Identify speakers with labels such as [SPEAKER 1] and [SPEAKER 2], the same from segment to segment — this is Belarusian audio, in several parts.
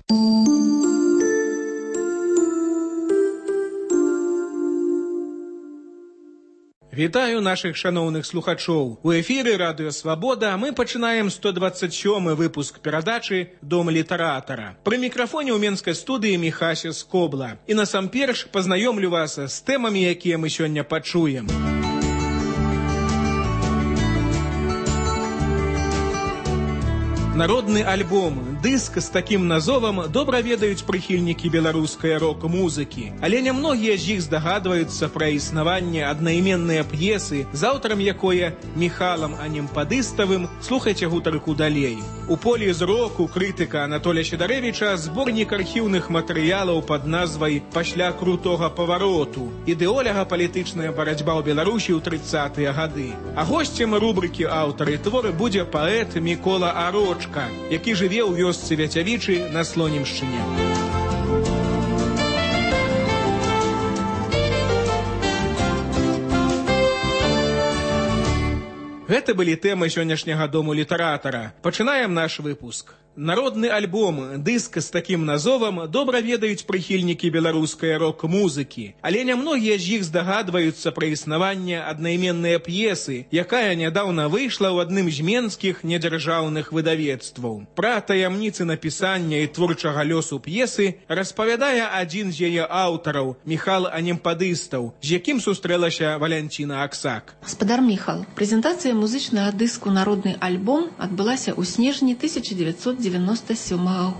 [SPEAKER 1] Вітаю наших шановных слухачоў. У эфіры Радыё Свабода мы пачынаем 127-й выпуск перадачы «Дом літаратара». Пры мікрафоне ў менскай студыі Міхася Скобла. І насамперш пазнаёмлю вас з тэмамі, якія мы сёння пачуем. Народны альбом, дыск з такім назовам добра ведаюць прыхільнікі беларускай рок-музыкі. Але нямногія з іх здагадваюцца пра існаванне аднайменнай п'есы, з аўтарам якое Міхалам Анемпадыставым слухайце гутарку далей. У полі зроку крытыка Анатолія Сідарэвіча зборнік архіўных матэрыялаў пад назвай «Пасля крутога павароту. Ідэолага-палітычная барацьба ў Беларусі ў 30-тыя гады». А госцем рубрыкі «Аўтары творы» будзе паэт Мікола Арочка, які жыве ў вёсцы Вяцявічы на Слонімшчыне. Гэта былі тэмы сённяшняга дому літаратара. Пачынаем наш выпуск. Народны альбом, дыск з такім назовам добра ведаюць прыхільнікі беларускай рок-музыкі. Але нямногія з іх здагадваюцца пра існаванне аднайменнай п'есы, якая нядаўна выйшла ў адным з менскіх недзяржаўных выдавецтваў. Пра таямніцы напісання і творчага лёсу п'есы распавядае адзін з яе аўтараў, Міхал Анемпадыстаў, з якім сустрэлася Валянціна Аксак.
[SPEAKER 2] Гаспадар Міхал, прэзентацыя музычнага дыску «Народны альбом» адбылася ў снежні 1997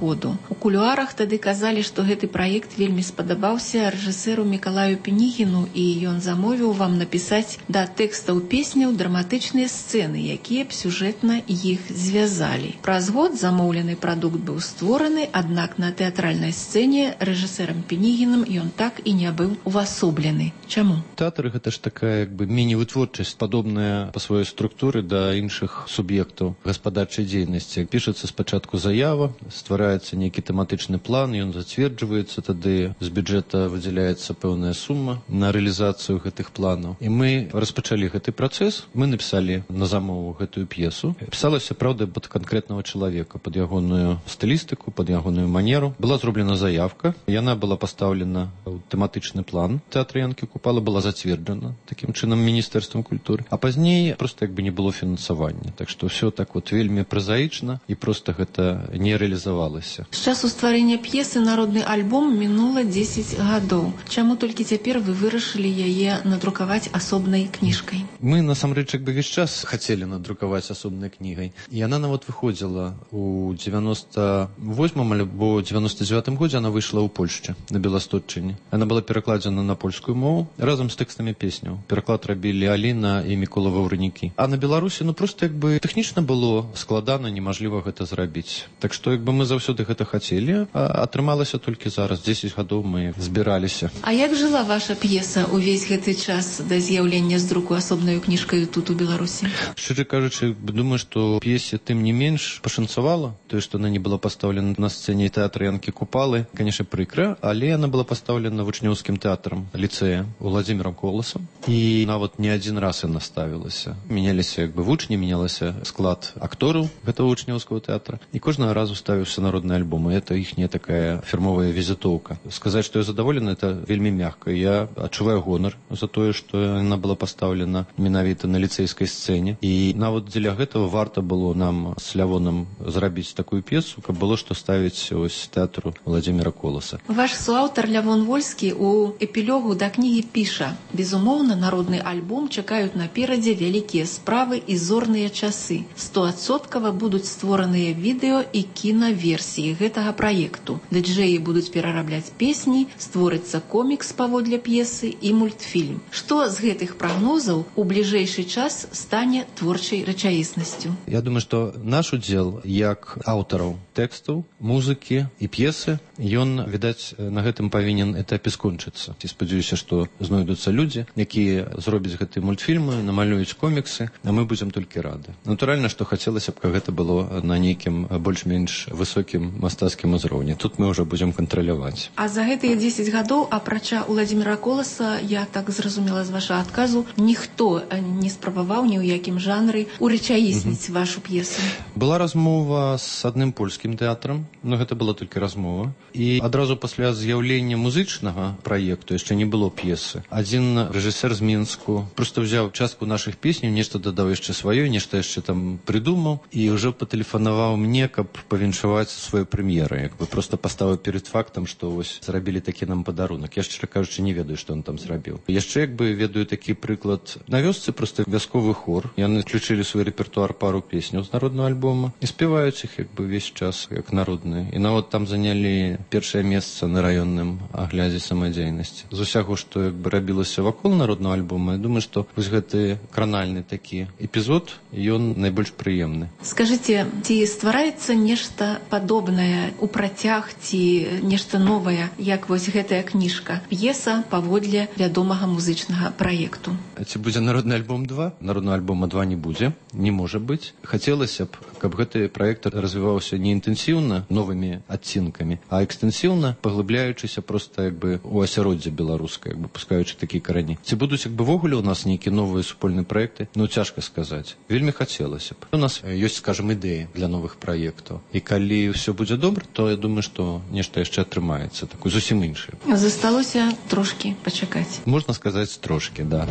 [SPEAKER 2] году. У кулуарах тады казалі, што гэты праект вельмі спадабаўся рэжысэру Мікалаю Пенігіну, і ён замовіў вам напісаць да тэкстаў песняў драматычныя сцэны, якія б сюжэтна іх звязалі. Праз год замоўлены прадукт быў створаны, аднак на тэатральнай сцэне рэжысэрам Пенігінам ён так і не быў увасоблены. Чаму?
[SPEAKER 3] Тэатр гэта ж такая міні-вытворчасць, падобная па сваёй структуры да іншых суб'ектаў гаспадарчай дзейнасці. Пішацца спачатку заява, ствараецца нейкі тэматычны план, ён зацверджваецца, тады з бюджэта выдзяляецца пэўная сума на рэалізацыю гэтых планаў. І мы распачалі гэты працэс, мы напісалі на замову гэтую п'есу. Пісалася, праўда, пад канкрэтнага чалавека, пад ягоную стылістыку, пад ягоную манеру. Была зроблена заявка, яна была пастаўлена ў тэматычны план тэатра Янкі Купала, была зацверджана такім чынам Міністэрствам культуры. А пазней проста не было фінансавання. Так што ўсё так вельмі празаічна і проста гэта не рэалізавалася.
[SPEAKER 2] З часу стварэння п'есы «Народны альбом» мінула 10 гадоў. Чаму толькі цяпер вы вырашылі яе надрукаваць асобнай кніжкай?
[SPEAKER 3] Мы, насамрэч, весь час хацелі надрукаваць асобнай кнігай. І яна нават выходзіла у 98-м альбо 99-м годзе, она выйшла ў Польшчы, на Беластотчыне. Она была перакладзена на польскую мову разам з тэкстамі песняў. Пераклад рабілі Аліна і Мікола Ваўрынікі. А на Беларусі, проста тэхнічна было складана, немажліва гэта зрабіць. Так што мы заўсёды гэта хацелі, а атрымалася толькі зараз. 10 гадоў мы збіраліся.
[SPEAKER 2] А як жыла ваша п'еса ўвесь гэты час да з'яўлення з друку асобнаю кніжкаю тут у Беларусі?
[SPEAKER 3] Шчыра кажучы, думаю, што п'есе тым не менш пашанцавала. Тое, што она не была пастаўлена на сцэне тэатра Янкі Купалы, канешне, прыкра, але яна была пастаўлена вучнёўскім тэатрам ліцэя Уладзімірам Коласам. І нават не адзін раз яна ставілася. Мяняліся вучні, мянялася склад актораў гэтага вучнёўскага тэатра. І кожнага разу ставіўся народны альбом. І это іхняя такая фірмовая візітоўка. Сказаць, што я задаволены, это вельмі мякка. Я адчуваю гонар за тое, што яна была пастаўлена менавіта на ліцэйскай сцэне. І нават дзеля гэтага варта было нам з Лявонам зрабіць такую п'есу, каб было што ставіць тэатру Уладзіміра Коласа.
[SPEAKER 2] Ваш суаўтар Лявон Вольскі у эпілогу да кнігі піша: «Безумоўна, народны альбом чакаюць наперадзе вялікія справы і зорныя часы. 100% будуць створаныя відэо і кінаверсіі гэтага праекту. Дыджэі будуць перарабляць песні, створыцца комікс паводле п'есы і мультфільм. Што з гэтых прагнозаў у бліжэйшы час стане творчай рэчаіснасцю?»
[SPEAKER 3] Я думаю, што наш удзел як аўтараў тэкстаў, музыкі і п'есы, ён, відаць, на гэтым павінен этапе скончыцца. І спадзяюся, што знойдуцца людзі, якія зробяць гэтыя мультфільмы, намалююць коміксы, а мы будзем толькі рады. Натуральна, што хацелася б, каб гэта было на нейкім больш-менш высокім мастацкім узроўні. Тут мы ўжо будзем кантраляваць.
[SPEAKER 2] А за гэтыя 10 гадоў, апрача Уладзіміра Коласа, я так зразумела з вашага адказу, ніхто не спрабаваў ні ў якім жанры урэчаісніць вашу п'есу.
[SPEAKER 3] Была размова з адным польскім тэатрам, но гэта была толькі размова. І адразу пасля з'яўлення музычнага праекту, яшчэ не было п'есы, адзін рэжысер з Мінску проста взяў частку нашых песняў, нешта дадаў яшчэ сваёй, нешта яшчэ там прыдумаў і ўжо патэлефанаваў мне, каб павіншаваць сваю прэм'еру. Як бы проста паставіў перад фактам, што вось зрабілі такі нам падарунак. Я, шчыра кажучы, не ведаю, што он там зрабіў. Яшчэ як бы ведаю такі прыклад. На вёсцы проста вясковы хор. Яны включылі свой рэпертуар пару песняў з народнага альбома і спяваюць іх як бы ўвесь час як народныя. І нават там занялі першае месца на раённым аглядзе самадзейнасці. З усяго, што як бы рабілася вакол народнага альбома, я думаю, што вось гэты кранальны такі эпізод, ён найбольш прыемны.
[SPEAKER 2] Скажыце, ці ствараецца нешта падобнае у працяг ці нешта новае, як вось гэтая кніжка, п'еса паводле вядомага музычнага праекту?
[SPEAKER 3] Ці будзе народны альбом 2? Народного альбома 2 не будзе, не можа быць. Хацелася б, каб гэты праект развіваўся не інтэнсіўна новымі адцінкамі, а экстэнсіўна, паглыбляючыся проста як бы у асяроддзе беларускае, як бы пускаючы такія карані. Ці будуць як бы вогуле у нас нейкія новыя супольныя праекты? Ну, цяжка сказаць. Вельмі хацелася б. У нас ёсць, скажем, ідэі для новых праектаў. І калі ўсё будзе добра, то я думаю, што нешта яшчэ атрымаецца, такое зусім іншае.
[SPEAKER 2] Засталося трошкі пачакаць.
[SPEAKER 3] Можна сказаць, трошкі, да.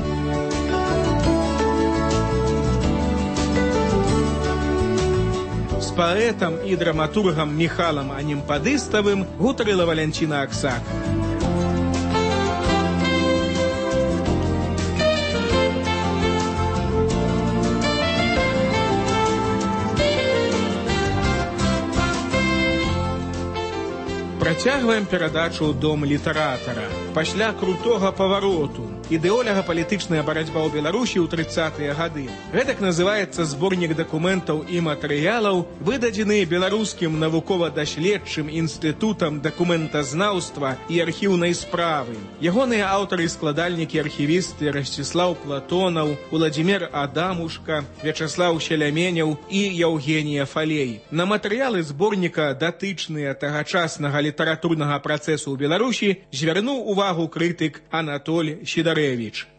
[SPEAKER 1] З паэтам і драматургам Міхалам Анімпадыставым гутарыла Валянціна Аксак. Працягваем перадачу «Дом літаратара». Пасля крутога павароту ідэолага-палітычная барацьба ў Беларусі ў 30-е гады. Гэтак называецца зборнік дакументаў і матэрыялаў, выдадзены беларускім навукова-даследчым інстытутам дакументазнаўства і архіўнай справы. Ягоныя аўтары і складальнікі архівісты Расціслаў Платонаў, Уладзімір Адамушка, Вячаслаў Шеляменяў і Яўгенія Фалей. На матэрыялы зборніка, датычныя тагачаснага літаратурнага працэсу ў Беларусі, звярнуў увагу крытык Анатоль Сідарэвіч.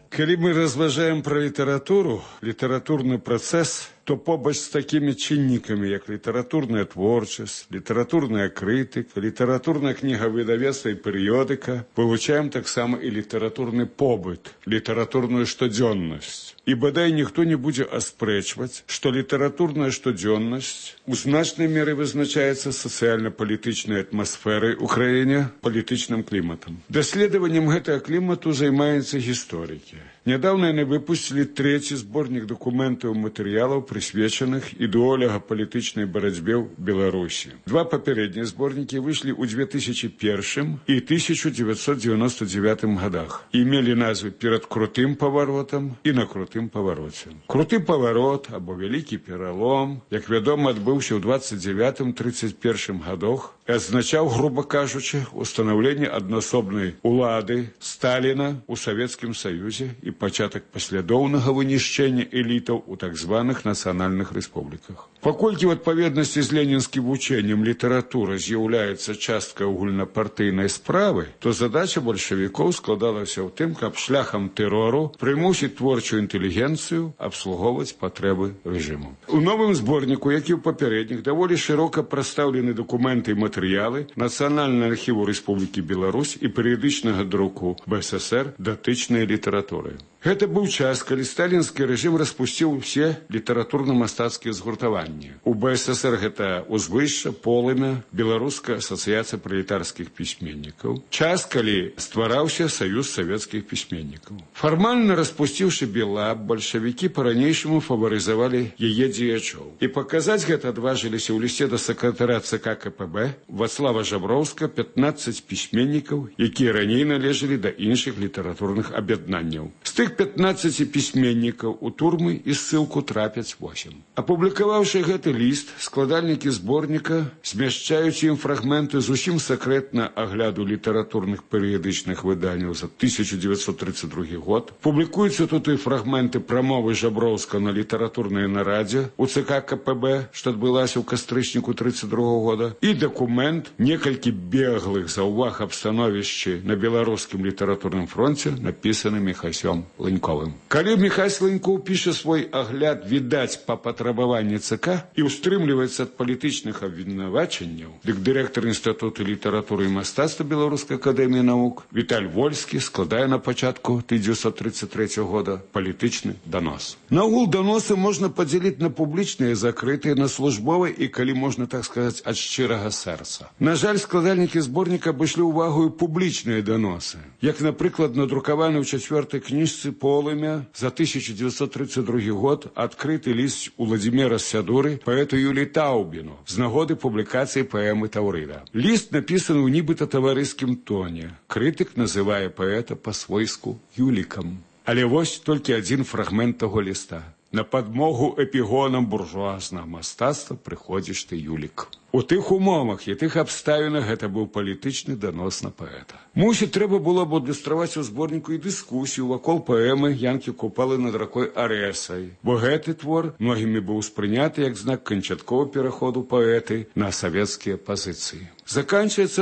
[SPEAKER 4] Калі мы разважаем пра літаратуру, літаратурны працэс, то побач з такімі чыннікамі, як літаратурная творчасць, літаратурная крытыка, літаратурная кнігавыдавецтва і перыёдыка, вывучаем таксама і літаратурны побыт, літаратурную штодзённасць. І бадай ніхто не будзе аспрэчваць, што літаратурная штодзённасць у значнай меры вызначаецца сацыяльна-палітычнай атмасферай у краіне, палітычным кліматам. Даследаваннем гэтага клімату займаюцца гісторыкі. Нядаўна яны выпусцілі 3-й зборнік дакументаў і матэрыялаў, прысвечаных ідэолага-палітычнай барацьбе ў Беларусі. 2 папярэднія зборнікі выйшлі ў 2001 і 1999 годах і мелі назвы «Перад крутым паваротам» і «На крутым павароце». Круты паварот або вялікі пералом, як вядома, адбыўся ў 29-31 годах, азначаў, груба кажучы, устанаўленне аднасобнай улады Сталіна ў Савецкім Саюзе і пачатак паслядоўнага вынішчэння элітаў у так званых нацыянальных рэспубліках. Паколькі ў адпаведнасці з ленінскім вучэннем літаратура з'яўляецца часткай агульнапартыйнай справы, то задача бальшавікоў складалася ў тым, каб шляхам тэрору прымусіць творчую інтэлігенцыю абслугоўваць патрэбы рэжыму. У новым зборніку, як і ў папярэдніх, даволі шырока прадстаўлены дакументы і матэрыялы Нацыянальнага архіву Рэспублікі Беларусь і перыядычнага друку БССР датычнай літаратуры. Гэта быў час, калі сталінскі рэжым распусціў усе літаратурна-мастацкія згуртаванні. У БССР гэта ўзвышша, полымя, Беларуская асацыяцыя пралетарскіх пісьменнікаў. Час, калі ствараўся Саюз савецкіх пісьменнікаў. Фармальна распусціўшы Белаб, бальшавікі па-ранейшаму фаварызавалі яе дзеячоў. І паказаць гэта адважыліся ў лісце да сакратара ЦК КПБ Вацлава Жаброўска 15 пісьменнікаў, якія раней належалі да іншых літаратурных аб'яднанняў. З тых 15 пісьменнікаў у турмы і ссылку трапяць 8. Апублікаваўшы гэты ліст, складальнікі зборніка змяшчаюць ім фрагменты зусім сакрэтна агляду літаратурных перыядычных выданняў за 1932 год. Публікуюцца тут і фрагменты прамовы Жаброўска на літаратурнай нарадзе у ЦК КПБ, што адбылася ў кастрычніку 1932 года, і дакумент, некалькі беглых заўваг аб становішчы на беларускім літаратурным фронце, напісаны Міхасём Ланьковым. Калі Міхась Ланькоў піша свой агляд, відаць, па патрабаванні ЦК і ўстрымліваецца ад палітычных абвінавачанняў, дык дырэктар Інстытуту літаратуры і мастацтва Беларускай акадэміі навук Віталь Вольскі складае на пачатку 1933 года палітычны данос. Наогул даносы можна падзяліць на публічныя, закрытыя, на службовыя і, калі можна так сказаць, ад шчырага сэрца. На жаль, складальнікі зборніка абышлі ўвагу і публічныя даносы, як, напрыклад, надрукаваны ў 4-й кніжцы «Полымя» за 1932 год адкрыты ліст у Владзіміра Сядуры паэту Юліі Таўбіну з нагоды публікацыі паэмы «Таўрыда». Ліст напісаны ў нібыта таварыскім тоне. Крытык называе паэта па-свойску Юлікам. Але вось толькі адзін фрагмент таго ліста. На падмогу эпігонам буржуазнага мастацтва прыходзіш ты, Юлік. У тых умовах і тых абставінах гэта быў палітычны данос на паэта. Мусіць, трэба было б адлюстраваць у зборніку і дыскусію вакол паэмы Янкі Купалы над ракой Арэсай, бо гэты твор многімі быў успрыняты як знак канчатковага пераходу паэты на савецкія пазіцыі. Заканчваецца